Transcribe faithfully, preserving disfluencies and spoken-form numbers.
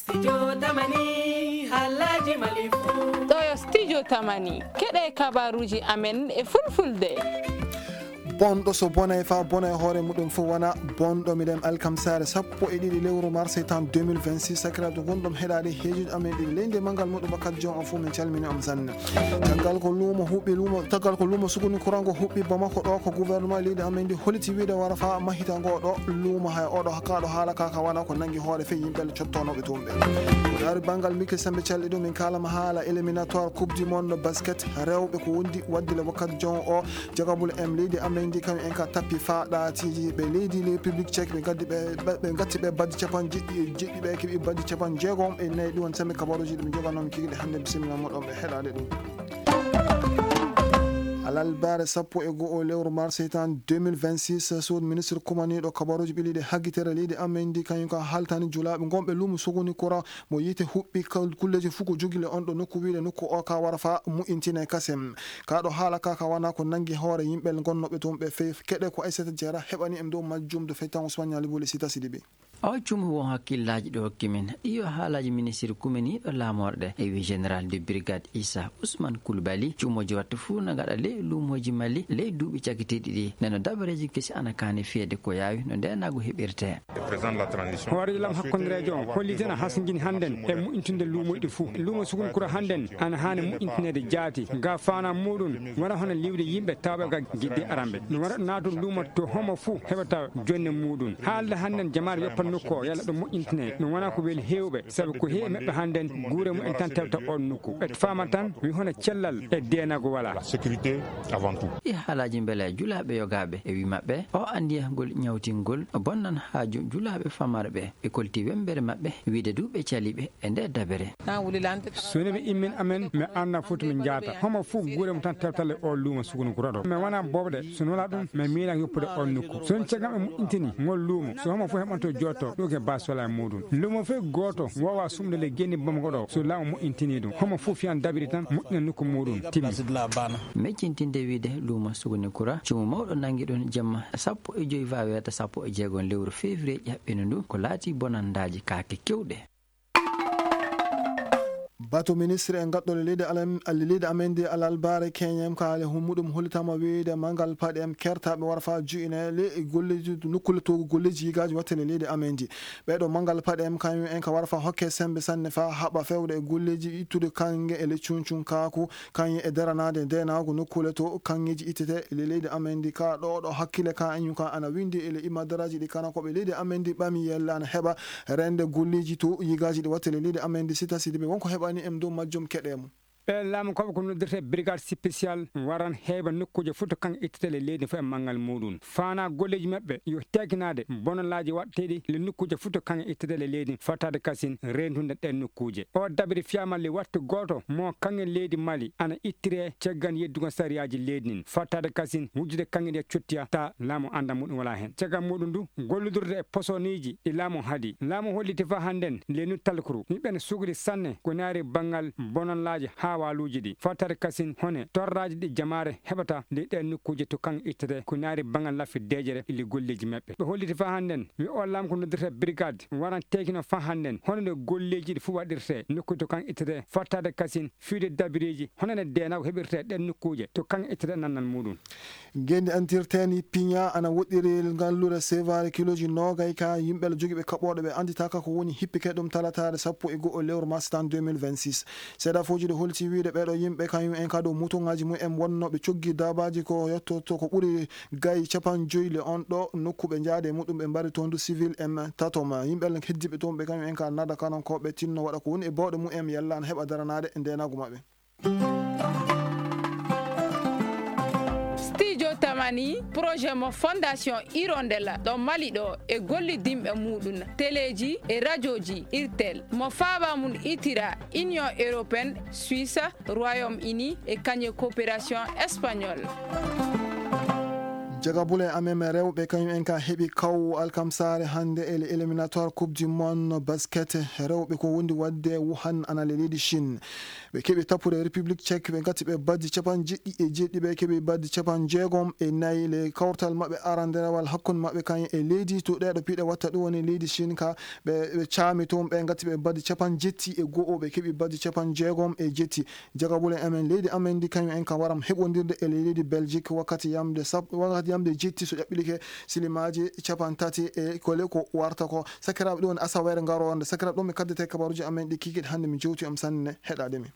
Studio Tamani, haalaaji Mali fuu. Ɗo yo Studio Tamani, keɗe kabaruuji amen e fulfulde. Bonɗo so bonay fa bonay hoore muɗum fof wona bonɗo. Miɗen alkamsaare sappo e ɗiɗi lewru mars tan deux mille vingt-six, sakiraaɓe gonɗum heɗaade heejude amen ɗiɗi leydi e manngal muɗum bakkat joom on fof, min calmini on sanne. Caggal ko luumo huɓɓi luumo, caggal ko luumo sukuni kurango huɓɓi Bamako ɗo ko gouvernement leydi amen ndi holiti wiide wara fa mahita ngo ɗo luumo hay oɗo kaɗo haala kaka wona ko nangi hoore fe yimɓe cottonoɓe tumɓe. Ko dari banngal Mikel Sambe calɗi ɗum min kalama haala éliminatoire coupe du monde basket rewɓe ko wondi wadde le wakkat jon o. Jagabul em leydi amen ndi kam en ka tappi fa ɗaatiji ɓe leydi le public check ɓe gaddi ɓe ɓe gatti ɓe baddi capan jeɗɗi e jeɗɗi ɓe keɓi baddi capan jeegom e nayi ɗum won sambe kabaruji ɗum joganoma kigide hannde bisimilla moɗon ɓe heɗade ɗum. Alalbaare sappo e go'o lewru mars tan deux mille vingt-six, suud ministre kumaniiɗo kabaruuji ɓiliiɗe haggitere leydi amen ndi kañum ka haltani julaaɓe ngonɓe luumo sogoni kora mo yiite huɓɓi kulleeji fof ko jogile on ɗo nokku wiide nokku o ka wara fa mu'intine kasem. Ka ɗo haala ka ka wana ko nangi hoore yimɓe gonnooɓe toon ɓe fey keɗe ko Aissata Diarra heɓani en dow majjum do feytan Ousmane Niali Boule Sita Sidibé. O cumo won hakkillaaji ɗo hokki min. Iyo haalaaji ministiri kumeniiɗo laamorɗe e wi général de brigade Issa Ousmane Koulibaly. Cuumooji wattu fuu na gaɗa ley luumooji Mali ley duuɓi cakitiiɗi ɗi. Neno dabareeji kesi ana kaani fiyeede ko yaawi no ndeenaagu heɓirtee. Hooreejo lam hakkondireejo on hollitena hasngini hannden e mu'intinde luumooji ɗi fuu. Luumo Sukun Kura hannden ana haani mu'intineede jaati. Ga faana muuɗum wona hono liwde yimɓe tawɓe ga gidde aramɓe. No wona naatun luumo to homo fuu heɓata jonne muuɗum. Haalde hannden jamaare weppan nokku o yalla ɗum moƴƴintinee. Ɗum wona ko weli heewɓe, sabu ko heewi maɓɓe hannden guure mumen tan tewta oon nokku. Ɓe faama tan mi hono cellal e deenago walaa. La sécurité avant tout. Ɗi haalaaji mbele julaaɓe yogaaɓe e wi maɓɓe o anndiyagol ñawtingol bonnan haaju julaaɓe famarɓe. Ɓe kolti wembere maɓɓe wiide du ɓe caliɓe e nde dabere. So ne ɓe immin amen mi anna foti mi jaata homo fof guure mo tan tewtale o luuma sukunu ko roɗo mi wona bobɗe so nola ɗum mi miila yoppude on nokku so on cagam e moƴƴintini ngol luumo so homo fof heɓanto jotto ɗo ke basola e muɗum luumo fof gooto wowa sumde le genni bamgo ɗo so laamu moƴƴintini ɗum homo fof fiyan dabiri tan moƴƴina nokku muɗum timmi. Meccintinde wiide luumo suguni kura cumu mawɗo nangi ɗon jemma sappo e joyi vaweeta sappo e jeegom lewru février ƴaɓɓino ndu ko laati bonandaaji kaake kewɗe. Bato ministre en gaɗɗole leydi alam- leydi amen ndi alalbare keñem ka hali hummuɗum hollitama wiyde mangal paɗe em kertaɓe wara fa juine le e golleji nukkule togu golleji yigaji wattene leydi amen ndi. Ɓeɗo mangal paɗe em kañum en ka wara fa hokke sembe sanne fa haɓa fewde e golleji ittude kange e le cuncun kaku kañum e daranade ndenagu nokkule to kangeji ittete le leydi amen ndi ka ɗo ɗo hakkille ka eñum ka ana windi e le imadaraji ɗi kana koɓe leydi amen ndi ɓami yella ana heɓa rende golleji to yigaji ɗi wattele leydi amen ndi sita sidi ɓe wonko heɓani em dow majjum keɗe mum. Ɓe laamu koɓe ko noddirte brigade spécial waran heeɓa nokkuuje fof to kan ittete le leydi fof e manngal muɗum fana golleji maɓɓe yo tekinade bonolaji waɗteɗi le nokkuuje fof to kan ittete le leydi fattade kasin rendude ɗen nokkuuje o dabiri fiyama le wattu goto mo kange leydi mali ana ittire ceggan yeddugo sariyaji leydi ndin fattade kasin wujjude kange ɗi cottiya ta laamu anda muɗum wala hen caggal muɗum du gollodurde e posoniji ɗi laamu haadi laamu holliti fa hannden leynu talkuru yimɓe ne sugri sanne ko naari banngal bonanlaaji haa waaluuji ɗi fattade kasin hone torraaji ɗi jamaare heɓata ndi ɗeen nokkuuje to kan ittete ko naari banngal laffi deejere ili golleeji maɓɓe ɓe holliti fa hannden wi o laam ko noddirte brigade waran teekino fa hannden hono nde golleeji ɗi fof waɗirte nokkuuje to kan ittete fattade kasin fiide dabireeji hono nde deenaw heɓirte ɗeen nokkuuje to kan ittete nannal muɗum. Ngenndi antirteeni piña ana woɗɗiri ngallure seevaare kilooji noogay ka yimɓe jogiiɓe kaɓooɗe ɓe annditaaka ko woni hippike ɗum talataare sappo e go'o lewru mars tan deux mille vingt-six. Seedafooji ɗi holti wiyde ɓeeɗo yimɓe kañum en ka dow mutuŋaaji mum en wonnooɓe coggi daabaaji ko yettoto ko ɓuri gay capanɗe joyi le on ɗo nokku ɓe njaade e muɗum ɓe mbari toon du civil en tatoma yimɓe heddiiɓe toon ɓe kañum en ka nada kanankooɓe tinno waɗa ko woni e bawɗe mum en yalla ana heɓa daranaade e ndeenaagu maɓɓe. Studio Tamani, projet mo Fondation Hirondella ɗo Mali ɗo e gollidinɓe muɗum teleji e rajoji Irtel mo faaba mum itira Union Européenne, Suisse, Royaume Uni e kañe coopération espagnole. Jagabule amen rewɓe kañum en ka heɓi kaw alkamsaare hannde e le éliminatoire Coupe du Monde basket rewɓe ko wondi waɗde Wuhan ana le leydi Chine. Ɓe keɓi tappude République Tchèque, ɓe ngati ɓe baddi capanɗe jeɗɗi e jeɗɗi, ɓe keɓi baddi capanɗe jeegom e nayi. Le kawtal maɓɓe aranderawal hakkunde maɓɓe kañum e leydi to ɗeeɗo piɗe watta ɗum woni leydi Chine ka ɓe ɓe caami toon, ɓe ngati ɓe baddi capanɗe jetti e go'o, ɓe keɓi baddi capanɗe jeegom e jetti. Jagabule amen leydi amen ndi kañum en ka waram heɓondirde e leydi Belgique wakkati yamde sap- wakkati yamde jetti so ƴaɓɓilike silimaaji capanɗe tati e kole ko warta ko. Sakiraaɓe, ɗum woni asaweere ngaroore. Sakiraaɓe, ɗum mi kaddete kabaruuji amen ɗi kikiɗe hannde mi jewti am sanne heɗaade mi.